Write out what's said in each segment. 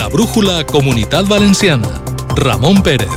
La brújula Comunitat Valenciana. Ramon Pérez.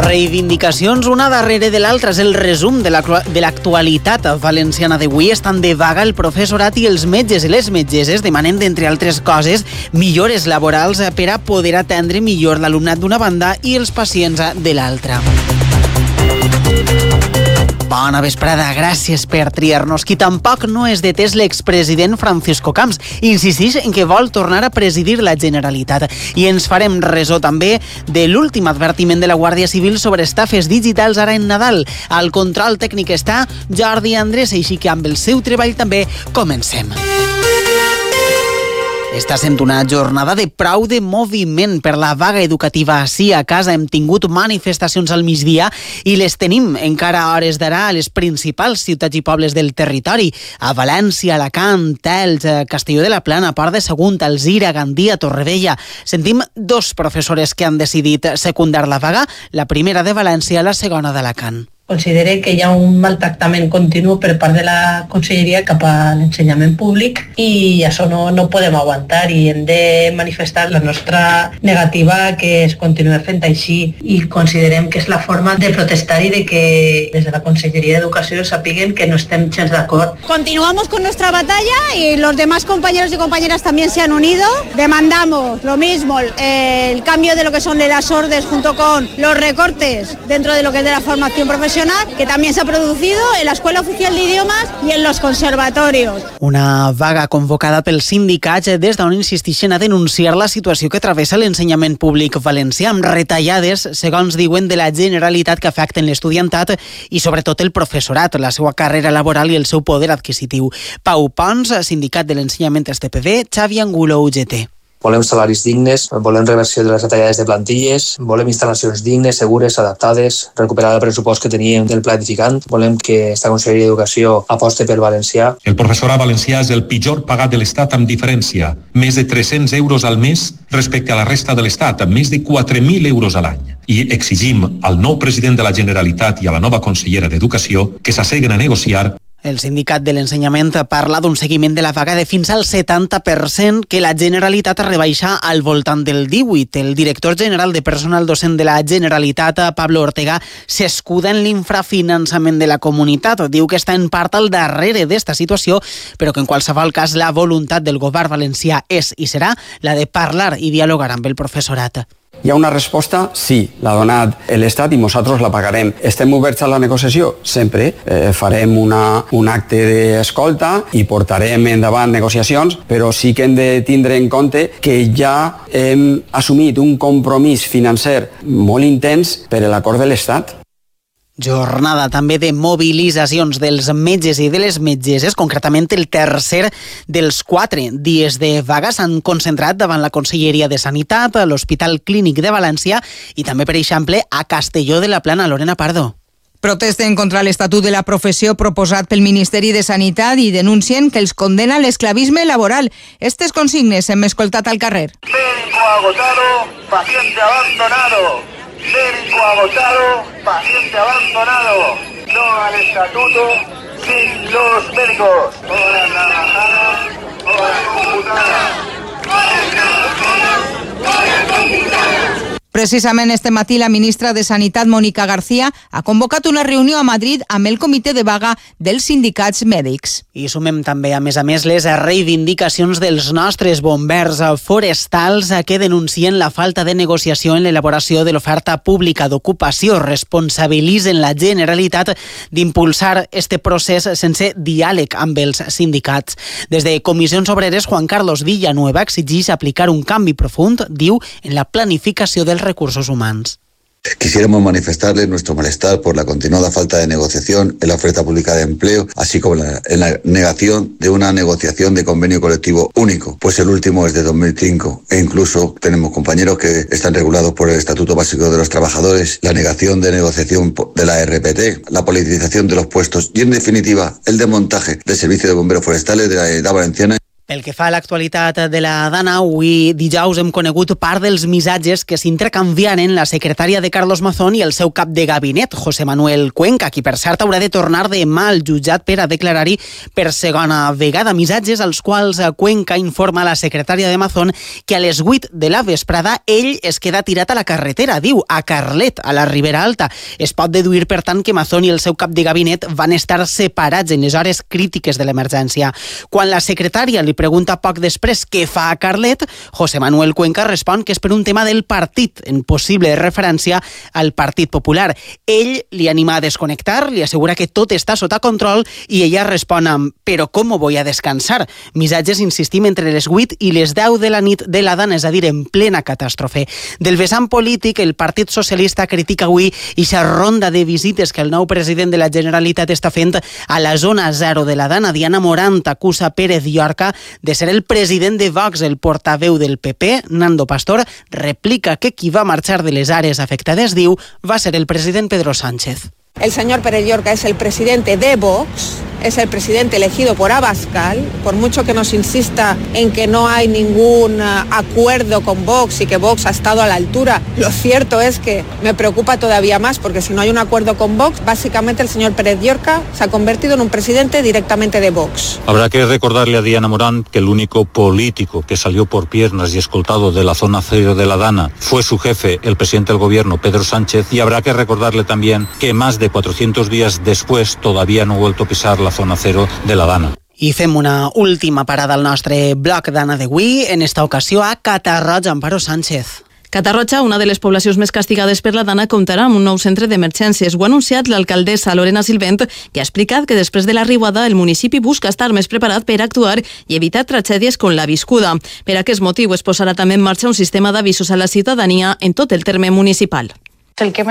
Reivindicacions una darrere de l'altra. És el resum de l'actualitat valenciana d'avui. Estan de vaga el professorat i els metges i les metgesses demanen, d'entre altres coses, millores laborals per a poder atendre millor l'alumnat d'una banda i els pacients de l'altra. Bona vesprada, gràcies per triar-nos. Qui tampoc no és de tes l'expresident Francisco Camps. Insisteix en que vol tornar a presidir la Generalitat. I ens farem ressò també de l'últim advertiment de la Guàrdia Civil sobre estafes digitals ara en Nadal. Al control tècnic està Jordi Andrés, així que amb el seu treball també comencem. Està sent una jornada de prou de moviment per la vaga educativa. Sí, a casa hem tingut manifestacions al migdia i les tenim encara a hores d'ara a les principals ciutats i pobles del territori. A València, Alacant, Elx, Castelló de la Plana, Port de Sagunt, Alzira, Gandia, Torrevella. Sentim dos professores que han decidit secundar la vaga, la primera de València, la segona d'Alacant. Considere que hi ha un maltractament continu per part de la Conselleria cap a l'ensenyament públic i això no podem aguantar i hem de manifestar la nostra negativa que es continuï fent així i considerem que és la forma de protestar i de que des de la Conselleria d'Educació sapiguen que no estem gens d'acord. Continuamos con nuestra batalla y los demás compañeros y compañeras también se han unido. Demandamos lo mismo, el cambio de lo que son las órdenes junto con los recortes dentro de lo que es de la formación profesional, que también se ha producido en la Escuela Oficial de Idiomas y en los conservatorios. Una vaga convocada pels sindicats des d'on insisteixen a denunciar la situació que travessa l'ensenyament públic valencià, amb retallades, segons diuen, de la Generalitat que afecten l'estudiantat i sobretot el professorat, la seva carrera laboral i el seu poder adquisitiu. Pau Pons, sindicat de l'ensenyament STPB, Xavi Angulo, UGT. Volem salaris dignes, volem reversió de les retallades de plantilles, volem instal·lacions dignes, segures, adaptades, recuperar el pressupost que teníem del pla edificant, volem que esta Conselleria d'Educació aposte pel valencià. El professorat valencià és el pitjor pagat de l'Estat amb diferència, més de 300 euros al mes respecte a la resta de l'Estat, amb més de 4.000 euros a l'any. I exigim al nou president de la Generalitat i a la nova consellera d'Educació que s'asseguen a negociar. El sindicat de l'ensenyament parla d'un seguiment de la vaga de fins al 70% que la Generalitat rebaixa al voltant del 18%. El director general de personal docent de la Generalitat, Pablo Ortega, s'escuda en l'infrafinançament de la comunitat. Diu que està en part al darrere d'esta situació, però que en qualsevol cas la voluntat del govern valencià és i serà la de parlar i dialogar amb el professorat. Hi ha una resposta? Sí, l'ha donat l'Estat i nosaltres la pagarem. Estem oberts a la negociació? Sempre. Farem un acte d'escolta i portarem endavant negociacions, però sí que hem de tindre en compte que ja hem assumit un compromís financer molt intens per l'acord de l'Estat. Jornada també de mobilitzacions dels metges i de les metgesses, concretament el tercer dels 4 dies de vaga s'han concentrat davant la Conselleria de Sanitat, a l'Hospital Clínic de València i també, per exemple, a Castelló de la Plana. Lorena Pardo. Protesten contra l'Estatut de la Professió proposat pel Ministeri de Sanitat i denuncien que els condena l'esclavisme laboral. Estes consignes hem escoltat al carrer. Médico agotado, paciente abandonado. Médico agotado, paciente abandonado. No al estatuto sin los médicos. Horas trabajadas, horas computadas. Precisament este matí la ministra de Sanitat, Mónica García, ha convocat una reunió a Madrid amb el comitè de vaga dels sindicats mèdics. I sumem també, a més, les reivindicacions dels nostres bombers forestals que denuncien la falta de negociació en l'elaboració de l'oferta pública d'ocupació. Responsabilitzen la Generalitat d'impulsar este procés sense diàleg amb els sindicats. Des de Comissions Obreres, Juan Carlos Villanueva exigeix aplicar un canvi profund, diu, en la planificació dels recursos humanos. Quisiéramos manifestarles nuestro malestar por la continuada falta de negociación en la oferta pública de empleo, así como en la negación de una negociación de convenio colectivo único, pues el último es de 2005 e incluso tenemos compañeros que están regulados por el Estatuto Básico de los Trabajadores, la negación de negociación de la RPT, la politización de los puestos y, en definitiva, el desmontaje del servicio de bomberos forestales de la Edad Valenciana. Pel que fa a l'actualitat de la Dana, avui dijous hem conegut part dels missatges que s'intercanviaren la secretària de Carlos Mazón i el seu cap de gabinet, José Manuel Cuenca, qui per cert haurà de tornar demà al jutjat per a declarar-hi per segona vegada. Missatges als quals Cuenca informa a la secretària de Mazón que a les 8 de la vesprada ell es queda tirat a la carretera, diu, a Carlet, a la Ribera Alta. Es pot deduir, per tant, que Mazón i el seu cap de gabinet van estar separats en les hores crítiques de l'emergència. Quan la secretària li pregunta poc després què fa a Carlet, José Manuel Cuenca respon que és per un tema del partit, en possible referència al Partit Popular. Ell li anima a desconnectar, li assegura que tot està sota control i ella respon amb «Però com voy a descansar?» Missatges, insistim, entre les 8 i les 10 de la nit de l'Adana, és a dir, en plena catàstrofe. Del vessant polític, el Partit Socialista critica avui ixa ronda de visites que el nou president de la Generalitat està fent a la zona 0 de l'Adana. Diana Morant acusa Pérez Llorca de ser el president de Vox. El portaveu del PP, Nando Pastor, replica que qui va marxar de les àrees afectades, diu, va ser el president Pedro Sánchez. El señor Pérez Llorca es el presidente de Vox, es el presidente elegido por Abascal, por mucho que nos insista en que no hay ningún acuerdo con Vox y que Vox ha estado a la altura. Lo cierto es que me preocupa todavía más, porque si no hay un acuerdo con Vox, básicamente el señor Pérez Llorca se ha convertido en un presidente directamente de Vox. Habrá que recordarle a Diana Morant que el único político que salió por piernas y escoltado de la zona 0 de la Dana fue su jefe, el presidente del gobierno, Pedro Sánchez, y habrá que recordarle también que más de 400 días después todavía no ha vuelto a pisar la zona 0 de la Dana. I fem una última parada al nostre bloc d'Anna d'avui, en esta ocasió a Catarroja, Amparo Sánchez. Catarroja, una de les poblacions més castigades per la Dana, comptarà amb un nou centre d'emergències. Ho ha anunciat l'alcaldessa Lorena Silvent, que ha explicat que després de la riuada el municipi busca estar més preparat per actuar i evitar tragèdies com la viscuda. Per aquest motiu es posarà també en marxa un sistema d'avisos a la ciutadania en tot el terme municipal. El que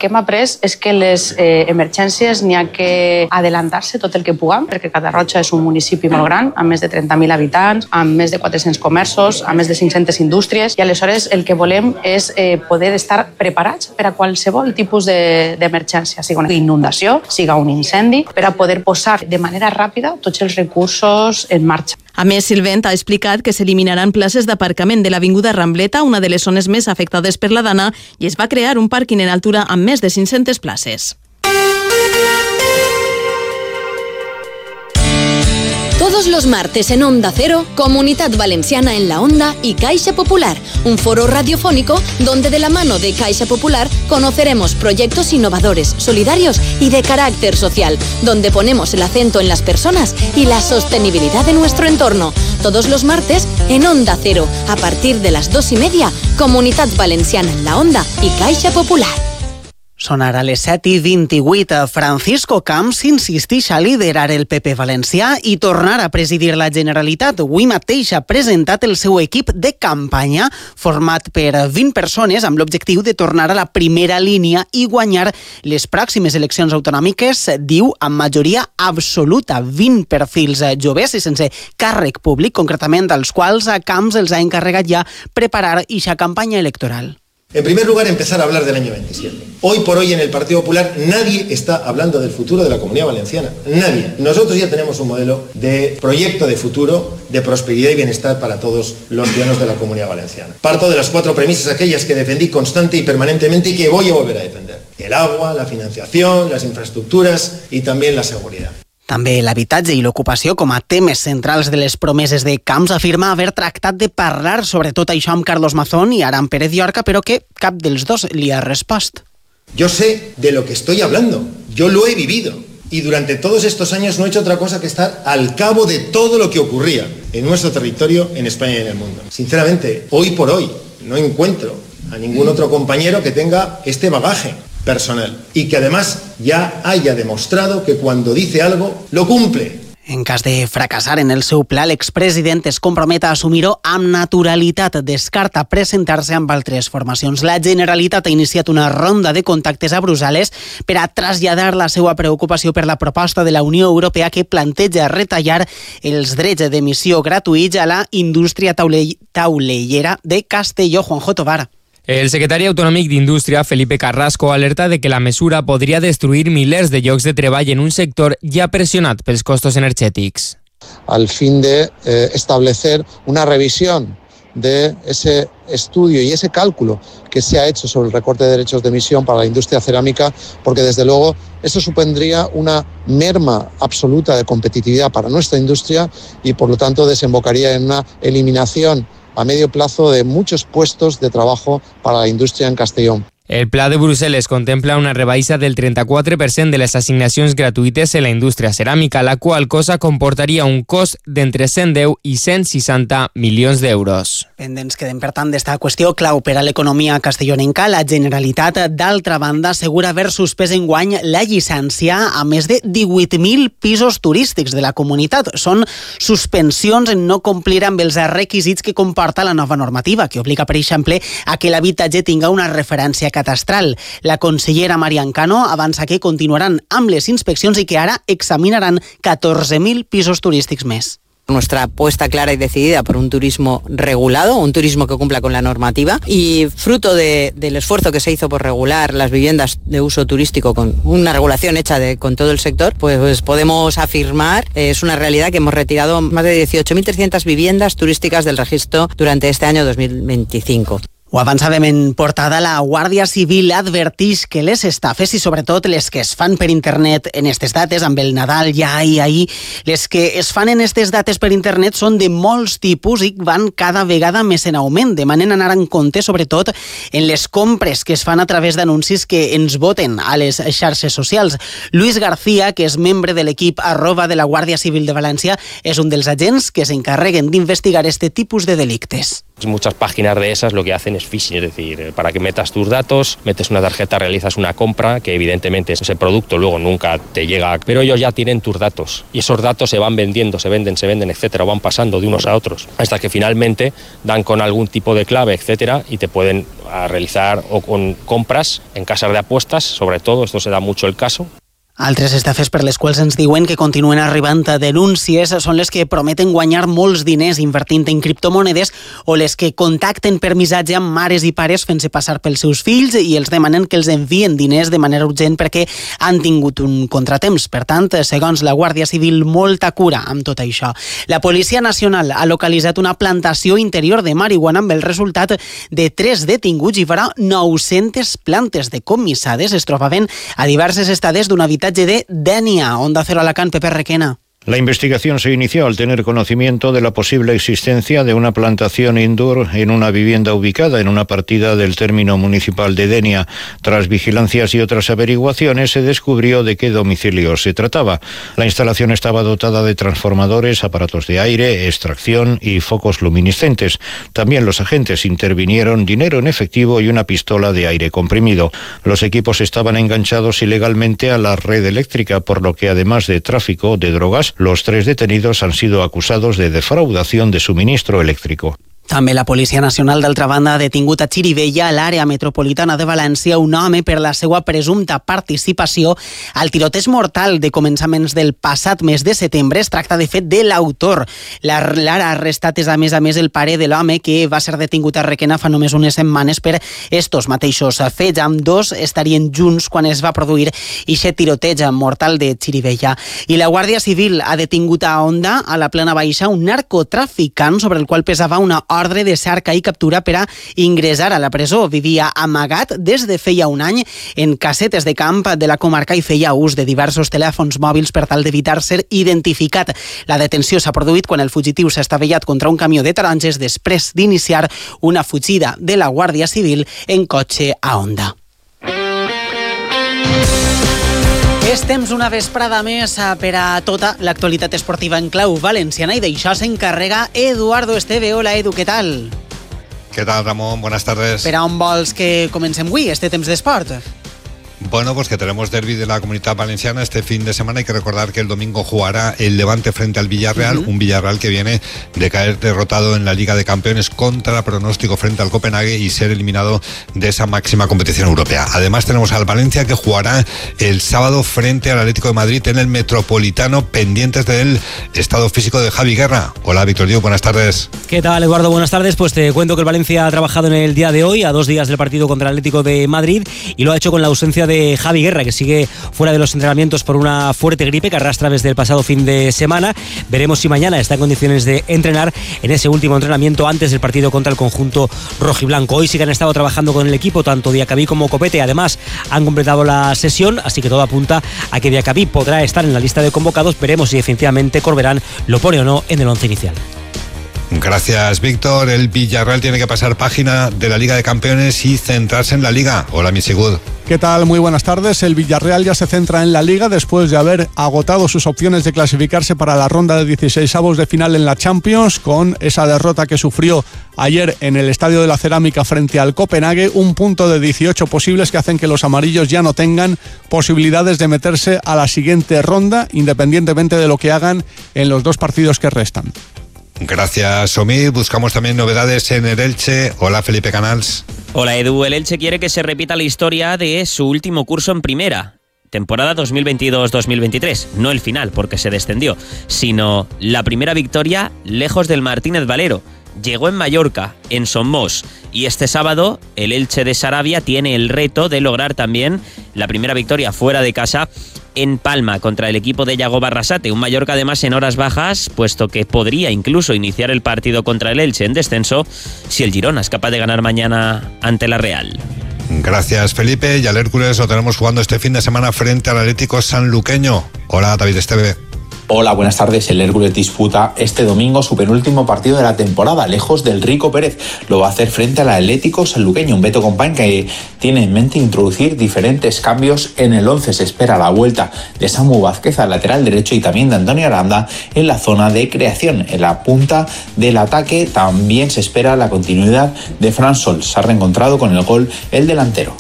hem après és que les emergències n'hi ha que adelantar-se tot el que puguem, perquè Catarroja és un municipi molt gran, amb més de 30.000 habitants, amb més de 400 comerços, amb més de 500 indústries, i aleshores el que volem és poder estar preparats per a qualsevol tipus d'emergència, sigui una inundació, siga un incendi, per a poder posar de manera ràpida tots els recursos en marxa. A més, Silvent ha explicat que s'eliminaran places d'aparcament de l'Avinguda Rambleta, una de les zones més afectades per la Dana, i es va crear un pàrquing en altura amb més de 500 places. Todos los martes en Onda Cero, Comunidad Valenciana en la Onda y Caixa Popular, un foro radiofónico donde de la mano de Caixa Popular conoceremos proyectos innovadores, solidarios y de carácter social, donde ponemos el acento en las personas y la sostenibilidad de nuestro entorno. Todos los martes en Onda Cero, a partir de las 2:30, Comunidad Valenciana en la Onda y Caixa Popular. Són ara les 7:28. Francisco Camps insisteix a liderar el PP valencià i tornar a presidir la Generalitat. Avui mateix ha presentat el seu equip de campanya, format per 20 persones, amb l'objectiu de tornar a la primera línia i guanyar les pròximes eleccions autonòmiques, diu, amb majoria absoluta. 20 perfils joves i sense càrrec públic, concretament als quals a Camps els ha encarregat ja preparar eixa campanya electoral. En primer lugar, empezar a hablar del año 27. Hoy por hoy en el Partido Popular nadie está hablando del futuro de la Comunidad Valenciana. Nadie. Nosotros ya tenemos un modelo de proyecto de futuro, de prosperidad y bienestar para todos los ciudadanos de la Comunidad Valenciana. Parto de las 4 premisas aquellas que defendí constante y permanentemente y que voy a volver a defender. El agua, la financiación, las infraestructuras y también la seguridad. També l'habitatge i l'ocupació com a temes centrals de les promeses de Camps. Afirma haver tractat de parlar sobre tot això amb Carlos Mazón i ara amb Pérez Llorca, però que cap dels dos li ha respost. Yo sé de lo que estoy hablando, yo lo he vivido y durante todos estos años no he hecho otra cosa que estar al cabo de todo lo que ocurría en nuestro territorio, en España y en el mundo. Sinceramente, hoy por hoy no encuentro a ningún otro compañero que tenga este bagaje personal y que además ya haya demostrado que cuando dice algo, lo cumple. En cas de fracassar en el seu pla, l'expresident es compromet a assumir-ho amb naturalitat. Descarta presentar-se amb altres formacions. La Generalitat ha iniciat una ronda de contactes a Brussel·les per a traslladar la seva preocupació per la proposta de la Unió Europea que planteja retallar els drets d'emissió gratuïts a la indústria taulellera de Castelló. Juanjo Tobar. El secretari autonòmic d'Indústria, Felipe Carrasco, alerta de que la mesura podria destruir milers de llocs de treball en un sector ja pressionat pels costos energètics. al fin de establecer una revisión de ese estudio y ese cálculo que se ha hecho sobre el recorte de derechos de emisión para la industria cerámica, porque desde luego eso supondría una merma absoluta de competitividad para nuestra industria y por lo tanto desembocaría en una eliminación a medio plazo de muchos puestos de trabajo para la indústria en Castellón. El Pla de Brussel·les contempla una rebaixa del 34% de les assignacions gratuïtes en la indústria ceràmica, la qual cosa comportaria un cost d'entre 110 i 160 milions d'euros. Pendents quedem, per tant, d'esta qüestió clau per a l'economia castellonenca. La Generalitat, d'altra banda, assegura haver suspès enguany la llicència a més de 18.000 pisos turístics de la comunitat. Són suspensions en no complir amb els requisits que comporta la nova normativa, que obliga, per exemple, a que l'habitatge tinga una referència catastral. La consellera Marian Cano avança que continuaran amb les inspeccions i que ara examinaran 14.000 pisos turístics més. Nuestra apuesta clara y decidida por un turismo regulado, un turismo que cumpla con la normativa, y fruto del esfuerzo que se hizo por regular las viviendas de uso turístico con una regulación hecha con todo el sector, pues podemos afirmar, es una realidad, que hemos retirado más de 18.300 viviendas turísticas del registro durante este año 2025. Ho avançàvem en portada. La Guàrdia Civil advertix que les estafes, i sobretot les que es fan per internet en aquestes dates, amb el Nadal ja i ahir, les que es fan en aquestes dates per internet són de molts tipus i van cada vegada més en augment. Demanen anar en compte, sobretot, en les compres que es fan a través d'anuncis que ens voten a les xarxes socials. Luis García, que és membre de l'equip @ de la Guàrdia Civil de València, és un dels agents que s'encarreguen d'investigar este tipus de delictes. Muchas páginas de esas lo que hacen es phishing, es decir, para que metas tus datos, metes una tarjeta, realizas una compra, que evidentemente ese producto luego nunca te llega, pero ellos ya tienen tus datos y esos datos se van vendiendo, se venden, etcétera, o van pasando de unos a otros, hasta que finalmente dan con algún tipo de clave, etcétera, y te pueden realizar o con compras en casas de apuestas, sobre todo, esto se da mucho el caso. Altres estafes per les quals ens diuen que continuen arribant a denúncies són les que prometen guanyar molts diners invertint en criptomonedes o les que contacten per missatge amb mares i pares fent-se passar pels seus fills i els demanen que els envien diners de manera urgent perquè han tingut un contratemps. Per tant, segons la Guàrdia Civil, molta cura amb tot això. La Policia Nacional ha localitzat una plantació interior de marihuana amb el resultat de 3 detinguts i farà 900 plantes decomissades. Es trobaven a diverses estades d'un habitatge de Dénia. Onda Cero Alacant, Pepe Requena. La investigación se inició al tener conocimiento de la posible existencia de una plantación indoor en una vivienda ubicada en una partida del término municipal de Dénia. Tras vigilancias y otras averiguaciones se descubrió de qué domicilio se trataba. La instalación estaba dotada de transformadores, aparatos de aire, extracción y focos luminiscentes. También los agentes intervinieron dinero en efectivo y una pistola de aire comprimido. Los equipos estaban enganchados ilegalmente a la red eléctrica, por lo que además de tráfico de drogas, los 3 detenidos han sido acusados de defraudación de suministro eléctrico. També la Policia Nacional, d'altra banda, ha detingut a Xirivella, a l'àrea metropolitana de València, un home per la seva presumpta participació al tiroteig mortal de començaments del passat mes de setembre. Es tracta, de fet, de l'autor. L'ara arrestat és, a més, el pare de l'home que va ser detingut a Requena fa només unes setmanes per estos mateixos fets. Ambdós estarien junts quan es va produir aquest tiroteig mortal de Xirivella. I la Guàrdia Civil ha detingut a Onda, a la Plana Baixa, un narcotraficant sobre el qual pesava una ordre de cerca i captura per a ingressar a la presó. Vivia amagat des de feia un any en casetes de camp de la comarca i feia ús de diversos telèfons mòbils per tal d'evitar ser identificat. La detenció s'ha produït quan el fugitiu s'ha estavellat contra un camió de taronges després d'iniciar una fugida de la Guàrdia Civil en cotxe a Onda. És temps una vesprada més per a tota l'actualitat esportiva en clau valenciana i d'això s'encarrega Eduardo Esteve. Hola, Edu, què tal? ¿Qué tal, Ramón? Buenas tardes. Per a on vols que comencem avui, este temps d'esport? Bueno, pues que tenemos derbi de la Comunitat Valenciana este fin de semana. Hay que recordar que el domingo jugará el Levante frente al Villarreal, un Villarreal que viene de caer derrotado en la Liga de Campeones contra pronóstico frente al Copenhague y ser eliminado de esa máxima competición europea. Además tenemos al Valencia, que jugará el sábado frente al Atlético de Madrid en el Metropolitano, pendientes del estado físico de Javi Guerra. Hola, Víctor Diego, buenas tardes. ¿Qué tal, Eduardo? Buenas tardes. Pues te cuento que el Valencia ha trabajado en el día de hoy, a 2 días del partido contra el Atlético de Madrid, y lo ha hecho con la ausencia de de Javi Guerra, que sigue fuera de los entrenamientos por una fuerte gripe que arrastra desde el pasado fin de semana. Veremos si mañana está en condiciones de entrenar en ese último entrenamiento antes del partido contra el conjunto rojiblanco. Hoy sí que han estado trabajando con el equipo, tanto Diacabí como Copete. Además, han completado la sesión, así que todo apunta a que Diacabí podrá estar en la lista de convocados. Veremos si definitivamente Corberán lo pone o no en el once inicial. Gracias, Víctor. El Villarreal tiene que pasar página de la Liga de Campeones y centrarse en la Liga. Hola, Misigud. ¿Qué tal? Muy buenas tardes. El Villarreal ya se centra en la Liga después de haber agotado sus opciones de clasificarse para la ronda de 16avos de final en la Champions, con esa derrota que sufrió ayer en el Estadio de la Cerámica frente al Copenhague. Un punto de 18 posibles que hacen que los amarillos ya no tengan posibilidades de meterse a la siguiente ronda, independientemente de lo que hagan en los 2 partidos que restan. Gracias, Omid. Buscamos también novedades en el Elche. Hola, Felipe Canals. Hola, Edu. El Elche quiere que se repita la historia de su último curso en primera. Temporada 2022-2023. No el final, porque se descendió, sino la primera victoria lejos del Martínez Valero. Llegó en Mallorca, en Somos, y este sábado el Elche de Sarabia tiene el reto de lograr también la primera victoria fuera de casa en Palma contra el equipo de Yago Barrasate. Un Mallorca además en horas bajas, puesto que podría incluso iniciar el partido contra el Elche en descenso si el Girona es capaz de ganar mañana ante la Real. Gracias, Felipe. Y al Hércules lo tenemos jugando este fin de semana frente al Atlético Sanluqueño. Hola, David Esteve. Hola, buenas tardes. El Hércules disputa este domingo su penúltimo partido de la temporada, lejos del Rico Pérez. Lo va a hacer frente al Atlético Sanluqueño, un Beto Company que tiene en mente introducir diferentes cambios en el 11. Se espera la vuelta de Samu Vázquez al lateral derecho y también de Antonio Aranda en la zona de creación. En la punta del ataque también se espera la continuidad de Fran Sol. Se ha reencontrado con el gol el delantero.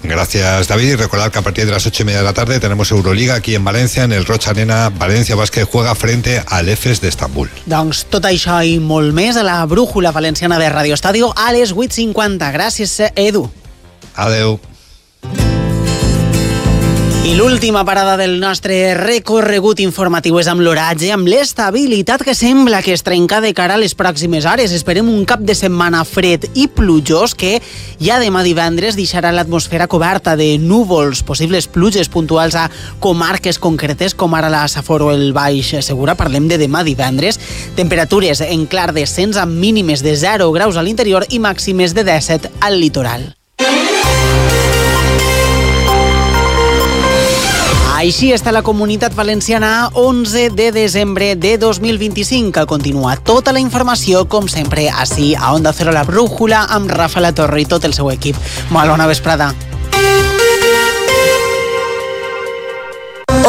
Gracias, David. Y recordad que a partir de las 8:30 de la tarde tenemos Euroliga aquí en Valencia, en el Roig Arena. Valencia Bàsquet juega frente al EFES d'Estambul. Doncs tot això i molt més a la brújula valenciana de Radio Estadio a les 8:50. Gràcies, Edu. Adeu. I l'última parada del nostre recorregut informatiu és amb l'oratge, amb l'estabilitat que sembla que es trenca de cara a les pròximes hores. Esperem un cap de setmana fred i plujós que ja demà divendres deixarà l'atmosfera coberta de núvols, possibles pluges puntuals a comarques concretes com ara la Safor o el Baix Segura. Parlem de demà divendres. Temperatures en clar descens amb mínimes de 0 graus a l'interior i màximes de 17 al litoral. Així està la Comunitat Valenciana 11 de desembre de 2025. Continua tota la informació, com sempre, ací a Onda Cero La Brújula, amb Rafa La Torre i tot el seu equip. Molt bona vesprada.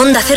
Onda Cero.